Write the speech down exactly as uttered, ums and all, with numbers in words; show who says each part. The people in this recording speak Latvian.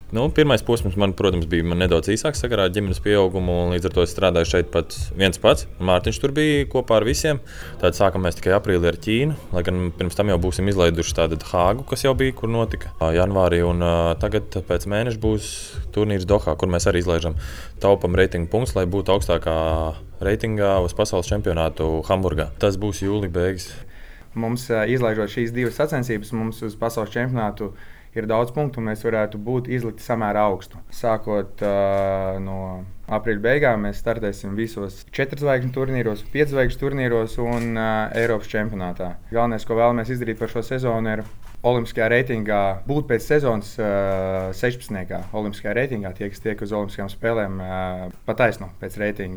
Speaker 1: Nu, pirmais posms man, protams, bija man nedaudz īsāks sakarā ar ģimenes pieaugumu, un līdz ar to es strādāju šeit pat viens pats. Mārtiņš tur bija kopā ar visiem. Tad sākam mēs tikai aprīlī ar Ķīnu, lai gan pirms tam jau būsim izlaiduši tādu Hāgu, kas jau bija, kur notika janvārī. Un tagad pēc mēneša būs turnīrs Dohā, kur mēs arī izlaižam taupam reitingu punktus, lai būtu augstākā reitingā uz pasaules čempionātu Hamburgā. Tas būs jūlija beigas.
Speaker 2: Mums izlaižot šīs divas sacensības, mums uz pasaules čempionātu ir daudz punktu, un mēs varētu būt izlikti samērā augstu. Sākot uh, no aprīļa beigām, mēs startēsim visos četru zvaigžņu turnīros, piecu zvaigžņu turnīros un uh, Eiropas čempionātā. Galvenais, ko vēlamies izdarīt par šo sezonu, ir olimpiskajā reitingā būt pēc sezonas uh, sešpadsmitniekā. Olimpiskajā reitingā tie, kas tiek uz olimpiskajām spēlēm, uh, pa taisno pēc reitinga.